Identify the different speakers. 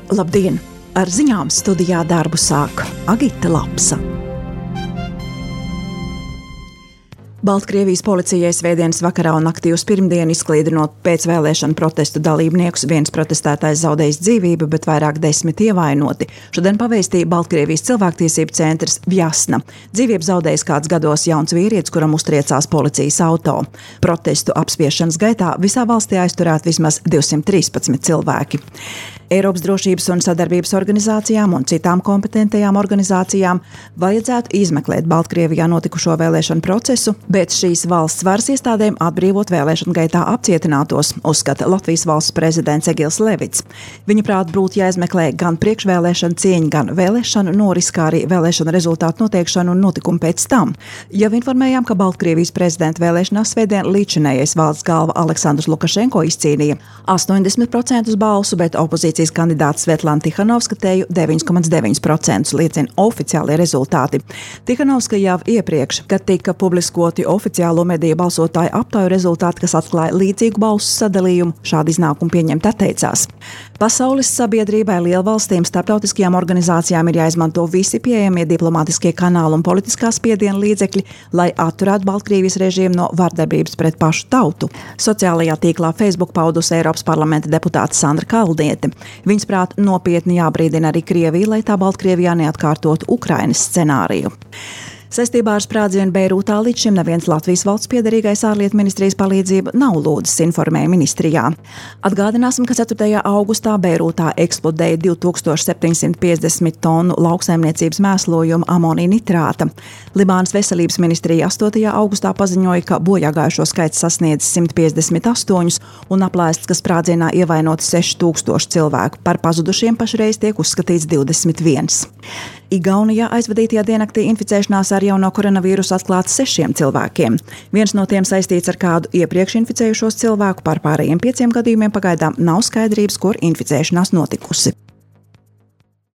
Speaker 1: Labdien! Ar ziņām studijā darbu sāk Agita Lapsa. Baltkrievijas policijai svētdienas vakarā un naktī uz pirmdienu izklīdinot pēcvēlēšanu protestu dalībniekus, viens protestētājs zaudējis dzīvību, bet vairāk 10 ievainoti. Šodien pavēstīja Baltkrievijas cilvēktiesību centrs Vjasna. Dzīvību zaudējis kāds gados jauns vīrietis, kuram uztriecās policijas auto. Protestu apspiešanas gaitā visā valstī aizturēti vismaz 213 cilvēki. Eiropas drošības un sadarbības organizācijām un citām kompetentajām organizācijām vajadzētu izmeklēt Baltkrievijā notikušo vēlēšanu procesu, bet šīs valsts varas iestādēm atbrīvot vēlēšanu gaitā apcietinātos, uzskata Latvijas valsts prezidents Egils Levits. Viņa prāt būtu jāizmeklē gan priekšvēlēšana cieņa, gan vēlēšanu noris, kā arī vēlēšanu rezultātu noteikšanu un notikumu pēc tam. Jau informējām, ka Baltkrievijas prezidenta vēlēšanās svētdien līdzinējais valsts galva Aleksandrs Lukašenko izcīnīja 80% balsu, bet opozīcijas kandidāts Svetlana Tihanovska teju 9,9% liecina oficiālie rezultāti. Tihanovska jau iepriekš, kad tika publiskoti oficiālo mediju balsotāju aptauju rezultāti, kas atklāja līdzīgu balsu sadalījumu, šādu iznākumu pieņemt atteicās. Pasaules sabiedrībai, lielvalstīm, starptautiskajām organizācijām ir jāizmanto visi pieejamie diplomātiskie kanāli un politiskā spiediena līdzekļi, lai atturētu Baltkrievijas režīmu no vardarbības pret pašu tautu. Sociālajā tīklā Facebook paudusi Eiropas parlamenta deputāte Sandra Kalniete. Viņas prāt nopietni jābrīdina arī Krievija, lai tā Baltkrievijā neatkārtotu Ukrainas scenāriju. Saistībā ar sprādzienu Beirūtā līdz šim neviens Latvijas valsts piederīgais ārlietu ministrijas palīdzību nav lūdzis, informēja ministrijā. Atgādināsim, ka 4. augustā Beirūtā eksplodēja 2750 tonu lauksaimniecības mēslojuma amonija nitrāta. Libānas veselības ministrija 8. augustā paziņoja, ka bojāgājušo skaits sasniedz 158 un aplēsts, ka sprādzienā ievainoti 6000 cilvēku. Par pazudušiem pašreiz tiek uzskatīts 21. Igaunijā aizvadītajā diennaktī inficēšanās ar jauno koronavīrusu atklāts 6 cilvēkiem. Viens no tiem saistīts ar kādu iepriekš inficējušos cilvēku, par pārējiem 5 gadījumiem pagaidām nav skaidrības, kur inficēšanās notikusi.